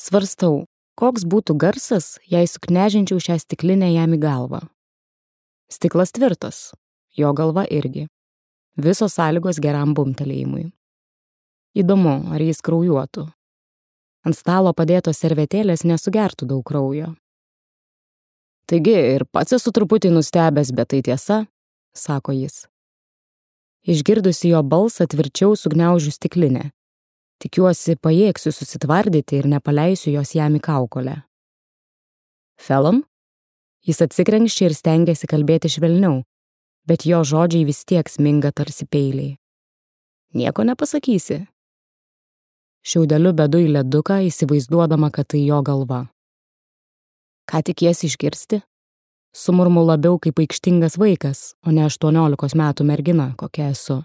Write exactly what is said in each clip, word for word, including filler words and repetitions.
Svarstau, koks būtų garsas, jei suknežinčiau šią stiklinę jam į galvą. Stiklas tvirtas, jo galva irgi. Visos sąlygos geram bumtelėjimui. Įdomu, ar jis kraujuotų. Ant stalo padėtos servetėlės nesugertų daug kraujo. Taigi, ir pats esu truputį nustebęs, bet tai tiesa, sako jis. Išgirdusi jo balsą tvirčiau sugniaužiu stiklinę. Tikiuosi, pajėgsiu susitvardyti ir nepaleisiu jos jam į kaukolę. Felon? Jis atsikrenkščia ir stengiasi kalbėti švelniau, bet jo žodžiai vis tiek sminga tarsi peiliai. Nieko nepasakysi. Šiaudeliu bedu į leduką, įsivaizduodama, kad tai jo galva. Ką tikiesi išgirsti? Sumurmu labiau kaip aikštingas vaikas, o ne aštuoniolikos metų mergina, kokia esu.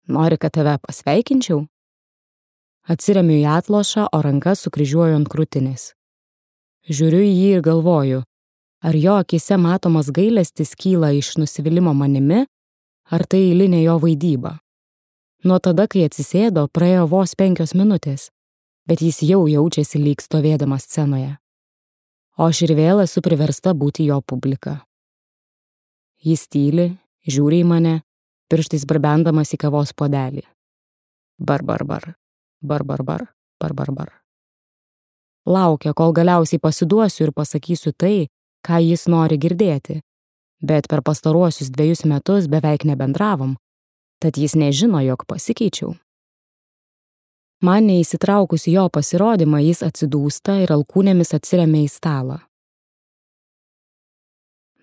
Nori, kad tave pasveikinčiau? Atsiremiu į atlošą, o rankas sukryžiuoju ant krūtinės. Žiūriu į jį ir galvoju, ar jo akise matomas gailestis kyla iš nusivylimo manimi, ar tai eilinė jo vaidyba. Nuo tada, kai atsisėdo, praėjo vos penkios minutės, bet jis jau jaučiasi lyg stovėdamas scenoje. O aš ir vėl esu priversta būti jo publika. Jis tyli, žiūri į mane, pirštais barbendamas į kavos puodelį. Bar, bar, bar, bar, bar, bar, bar, bar, bar. Laukia, kol galiausiai pasiduosiu ir pasakysiu tai, ką jis nori girdėti, bet per pastaruosius dviejus metus beveik nebendravom, tad jis nežino, jog pasikeičiau. Man neįsitraukus į jo pasirodymą, jis atsidūsta ir alkūnėmis atsiremia į stalą.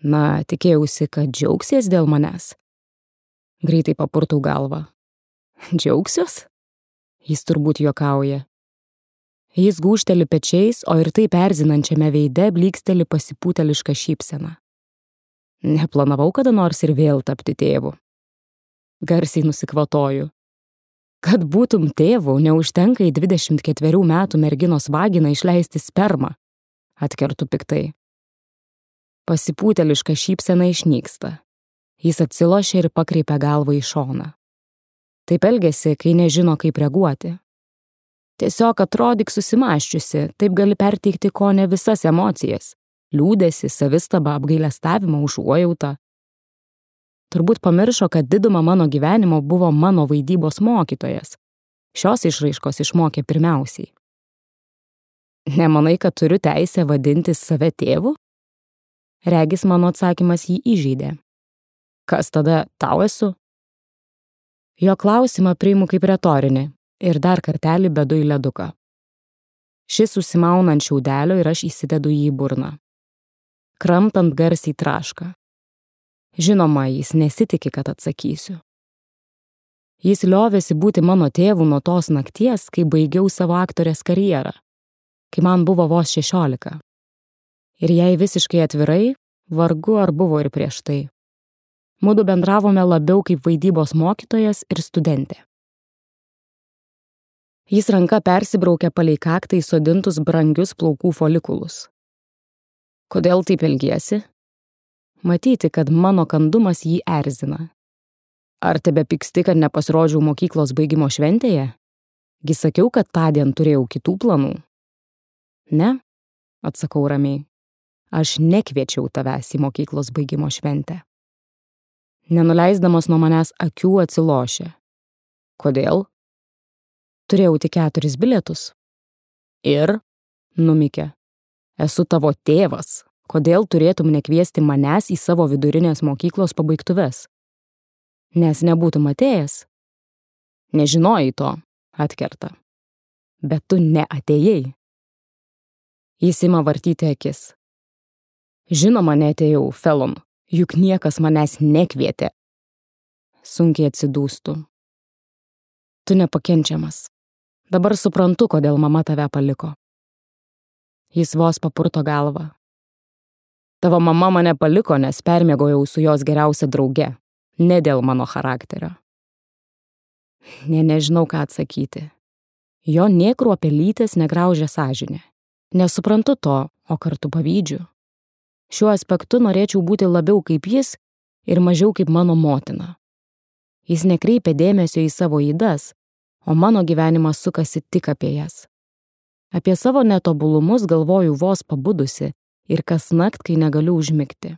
Na, tikėjausi, kad džiaugsies dėl manęs. Greitai papurtau galvą. Džiaugsios? Jis turbūt juokauja. Jis gūžteli pečiais, o ir taip erzinančiame veide blyksteli pasipūteliška šypsena. Neplanavau kada nors ir vėl tapti tėvu. Garsiai nusikvatoju. Kad būtum tėvu, neužtenka į dvidešimt ketverių metų merginos vaginą išleisti spermą, atkertu piktai. Pasipūteliška šypsena išnyksta. Jis atsilošia ir pakreipia galvą į šoną. Taip elgiasi, kai nežino, kaip reaguoti. Tiesiog atrodyk susimąsčiusi, taip gali perteikti kone visas emocijas – liūdesį, savistabą, apgailestavimą, užuojautą. Turbūt pamiršo, kad didumą mano gyvenimo buvo mano vaidybos mokytojas. Šios išraiškos išmokė pirmiausiai. Nemanai, kad turiu teisę vadinti save tėvu? Regis mano atsakymas jį įžeidė. Kas tada tau esu? Jo klausimą priimu kaip retorinį ir dar kartelį bedu į leduką. Šis susimauna ant šiaudelio ir aš įsidedu jį į burną. Kramtant garsiai traška. Žinoma, jis nesitiki, kad atsakysiu. Jis liovėsi būti mano tėvu nuo tos nakties, kai baigiau savo aktorės karjerą, kai man buvo vos šešiolika. Ir jei visiškai atvirai, vargu ar buvo ir prieš tai. Mudu bendravome labiau kaip vaidybos mokytojas ir studentė. Jis ranka persibraukė palei kaktą įsodintus brangius plaukų folikulus. Kodėl taip elgiesi? Matyti, kad mano kandumas jį erzina. Ar tebe pyksti, kad nepasirodžiau mokyklos baigimo šventėje? Gi sakiau, kad tądien turėjau kitų planų. Ne, atsakau ramiai. Aš nekviečiau tavęs į mokyklos baigimo šventę. Nenuleisdamas nuo manęs akių atsilošė. Kodėl? Turėjau tik keturis bilietus. Ir, numikė, esu tavo tėvas. Kodėl turėtum nekviesti manęs į savo vidurinės mokyklos pabaigtuves? Nes nebūtum atėjęs? Nežinojai to, atkerta. Bet tu neatėjai. Jis ima vartyti akis. Žinoma, neatėjau, Felon, juk niekas manęs nekvietė. Sunkiai atsidūstu. Tu nepakenčiamas. Dabar suprantu, kodėl mama tave paliko. Jis vos papurto galvą. Tavo mama mane paliko, nes permiegojau su jos geriausia drauge, ne dėl mano charakterio. Ne, nežinau, ką atsakyti. Jo nė kruopelytės negraužia sąžinė. Nesuprantu to, o kartu pavydžiu. Šiuo aspektu norėčiau būti labiau kaip jis ir mažiau kaip mano motina. Jis nekreipia dėmesio į savo ydas, o mano gyvenimas sukasi tik apie jas. Apie savo netobulumus galvoju vos pabudusi ir kasnakt, kai negaliu užmigti.